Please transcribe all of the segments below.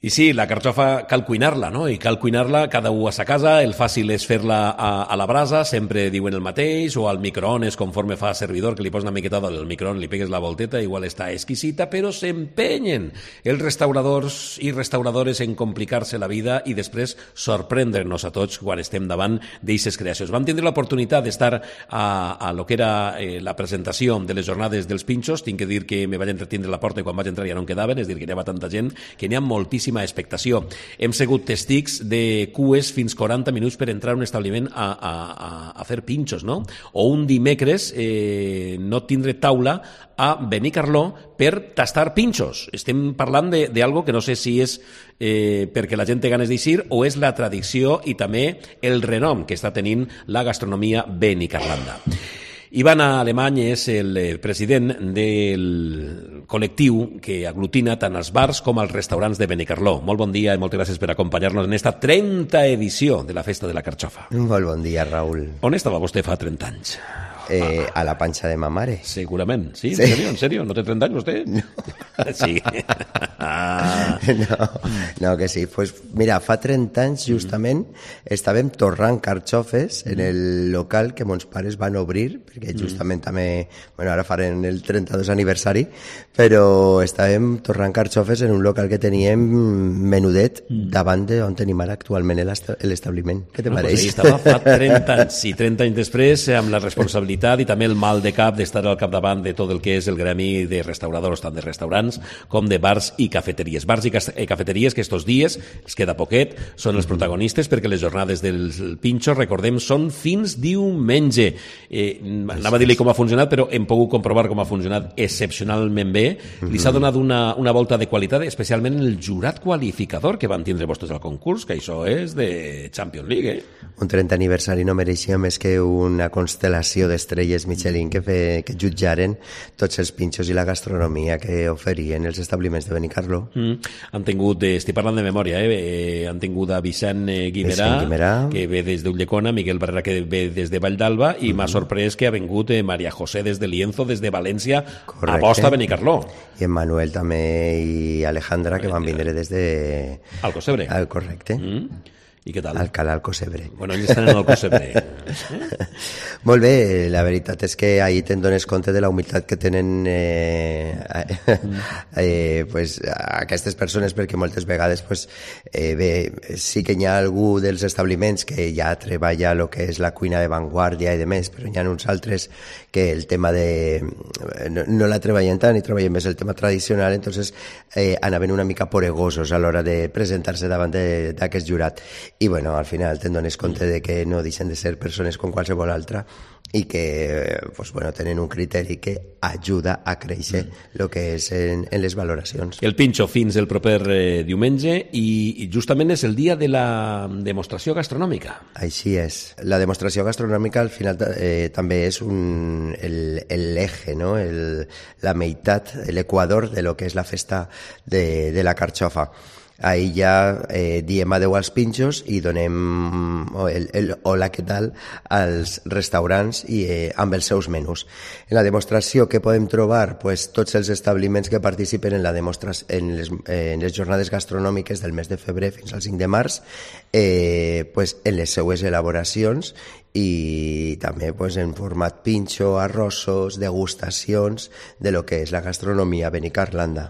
I sí, la carxofa cal cuinar-la, no? I cal cuinar-la cada un a sa casa. El fàcil és fer-la a la brasa, sempre diuen el mateix, o al microones, conforme fa servidor, que li poses una miqueta del microones, li pegues la volteta, igual està exquisita, però s'empenyen els restauradors i restauradores en complicar-se la vida i després sorprendre'ns a tots quan estem davant d'eixes creacions. Vam tindre l'oportunitat d'estar a lo que era la presentació de les jornades dels pinxos. Tinc que dir que me vaig entretindre la porta i quan vaig entrar ja no en quedaven, és dir, que hi havia tanta gent, que n'hi ha moltíssima expectació. Hem sigut testics de cues fins 40 minuts per entrar a un establiment a fer pinxos, no? O un dimecres no tindre taula a Benicarló per tastar pinxos. Estem parlant d'algo que no sé si és perquè la gent té ganes d'eixir o és la tradició i també el renom que està tenint la gastronomia benicarlanda. Ivan Alemany és el president del col·lectiu que aglutina tant els bars com els restaurants de Benicarló. Molt bon dia i moltes gràcies per acompanyar-nos en esta 30a edició de la Festa de la Carxofa. Molt bon dia, Raül. On estava vostè fa 30 anys? A la panxa de ma mare. Segurament, sí? En sèrio? No té 30 anys vostè? No. Sí. No, que sí. Pues mira, fa 30 anys justament estàvem torrant carxofes en el local que mons pares van obrir, perquè justament també, bueno, ara farem el 32 aniversari, però estàvem torrant carxofes en un local que teníem menudet davant d'on tenim ara actualment l'establiment. Què te pareix? Pues estava fa 30 anys, i 30 anys després, amb la responsabilitat i també el mal de cap d'estar al capdavant de tot el que és el gremi de restauradors, tant de restaurants com de bars i cafeteries. Bars i cafeteries que estos dies, es queda poquet, són els protagonistes perquè les jornades del pinxo, recordem, són fins diumenge. Anava a dir-li com ha funcionat, però hem pogut comprovar com ha funcionat excepcionalment bé. Li s'ha donat una volta de qualitat, especialment el jurat qualificador que van tindre vostès al concurs, que això és de Champions League, Un 30 aniversari no mereixia més que una constel·lació d'estrelles Michelin que jutjaren tots els pinxos i la gastronomia que oferien els establiments de Benicarló. Han tingut, estic parlant de memòria, han tingut a Vicent Guimerà, que ve des d'Ulldecona, Miguel Barrera, que ve des de Vall d'Alba, i m'ha sorprès que ha vingut María José des de Lienzo, des de València, a posta a Benicarló. I en Manuel també i Alejandra, que van vindre des de... Alcocebre. Correcte. I què tal? Alcalá Alcocebre. Bueno, ells estan en Alcocebre. Molt bé, la veritat és que ahir te'n dones compte de la humilitat que tenen pues, aquestes persones, perquè moltes vegades pues, bé, sí que hi ha algú dels establiments que ja treballa el que és la cuina de vanguardia i de més, però hi ha uns altres que el tema de... no la treballen tant i treballen més el tema tradicional, entonces anaven una mica poregosos a l'hora de presentar-se davant d'aquest jurat. I bueno, al final te'n dones compte de que no deixen de ser persones com qualsevol altra i que pues, bueno, tenen un criteri que ajuda a créixer el que és en les valoracions. El pinxo fins el proper diumenge i justament és el dia de la demostració gastronòmica. Així és. La demostració gastronòmica al final també és l'eje, no? La meitat, l'equador de lo que és la festa de la carxofa. Ahí ja diem adeu als pinxos i donem el hola, què tal, als restaurants i amb els seus menús. En la demostració que podem trobar, pues, tots els establiments que participen en les jornades gastronòmiques del mes de febrer fins al 5 de març, pues, en les seues elaboracions i també pues, en format pinxo, arrossos, degustacions de lo que és la gastronomia benicarlanda.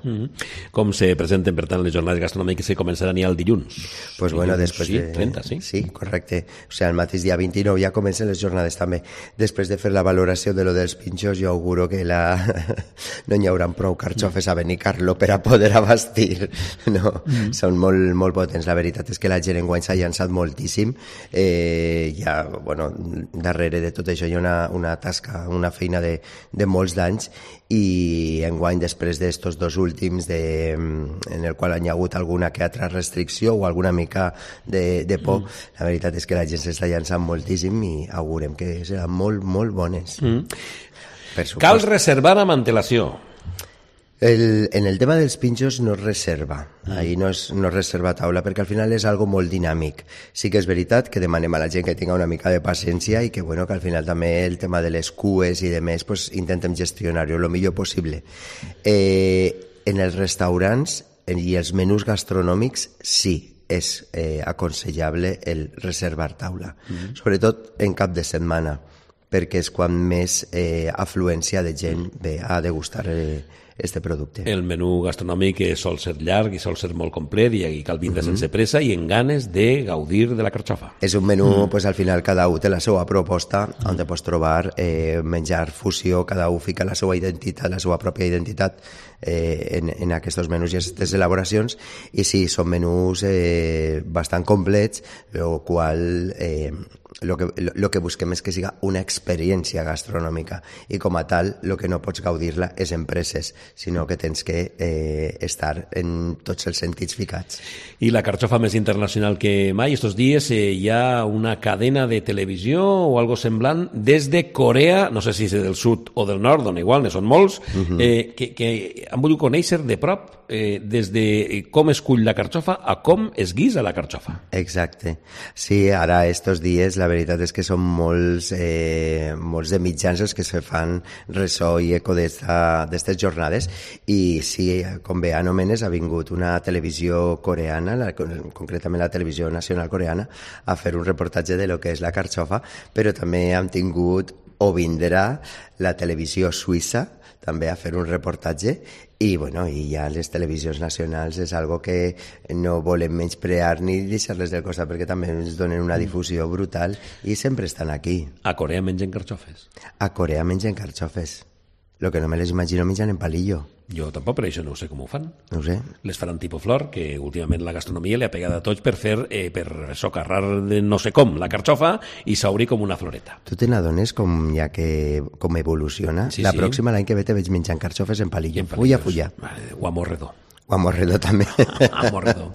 Com se presenten, per tant, les jornades gastronòmiques que començaran ja el dilluns? Pues bueno, després sí, 30, sí? Sí, correcte. O sigui, el mateix dia 29 ja comencen les jornades també. Després de fer la valoració de lo dels pinxos, jo auguro que no hi haurà prou carxofes a Benicarló per a poder abastir. No, són molt, molt potents. La veritat és que la gent enguany s'ha llançat moltíssim. Ja, bueno, darrere de tot això hi ha una tasca, una feina de molts d'anys i enguany, després d'estos dos últims en el qual hi ha hagut alguna que altra restricció o alguna mica de por, la veritat és que la gent s'està llançant moltíssim i augurem que seran molt, molt bones. Cal reservar amb antelació. En el tema dels pinxos no es reserva, ahir no es reserva taula, perquè al final és algo molt dinàmic. Sí que és veritat que demanem a la gent que tinga una mica de paciència i que, bueno, que al final també el tema de les cues i de més, pues, intentem gestionar-ho el millor possible. En els restaurants i els menús gastronòmics sí, és aconsellable el reservar taula, sobretot en cap de setmana, perquè és quan més afluència de gent ve a degustar este producte. El menú gastronòmic sol ser llarg i sol ser molt complet i cal vindre sense pressa i en ganes de gaudir de la carxofa. És un menú, pues, al final cada un té la seva proposta, on te pots trobar menjar fusió, cada un fica la seva identitat, la seva pròpia identitat en aquests menús i aquestes elaboracions, i sí, són menús bastant complets, el qual lo que busquem és que siga una experiència gastronòmica, i com a tal el que no pots gaudir-la és en presses, sinó que tens que estar en tots els sentits ficats. I la carxofa més internacional que mai, estos dies hi ha una cadena de televisió o algo semblant des de Corea, no sé si és del sud o del nord, on igual ne són molts, que han volgut conèixer de prop des de com es cull la carxofa a com es guisa la carxofa. Exacte. Sí, ara estos dies la veritat és que són molts de mitjans els que se fan ressò i eco d'estes jornades, i sí, com bé anomenes, ha vingut una televisió coreana, concretament la televisió nacional coreana, a fer un reportatge de lo que és la carxofa, però també han tingut o vindrà la televisió suïssa també a fer un reportatge, i bueno, i ja les televisions nacionals és algo que no volem menysprear ni deixar-les del costat, perquè també ens donen una difusió brutal i sempre estan aquí. A Corea mengen carxofes? A Corea mengen carxofes. Lo que no me les imagino menjan en palillo. Jo tampoc, per això no ho sé com ho fan. No ho sé. Les faran tipus flor, que últimament la gastronomia li ha pegat a tots per fer, per socarrar de no sé com la carxofa i s'obri com una floreta. Tu te n'adones com evoluciona? Sí, la sí. Pròxima, l'any que ve, te veig menjant carxofes en palillo. Fulla. O a morredor. O a morredor també. A morredor.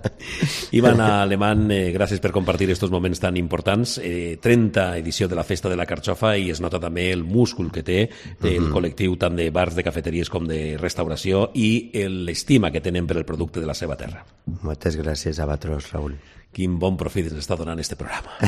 Ivan Alemán, gràcies per compartir estos moments tan importants. 30 edició de la Festa de la Carxofa, i es nota també el múscul que té el col·lectiu tant de bars, de cafeteries com de restauració, i l'estima que tenen per el producte de la seva terra. Moltes gràcies a vosaltres, Raül. Quin bon profit ens està donant este programa.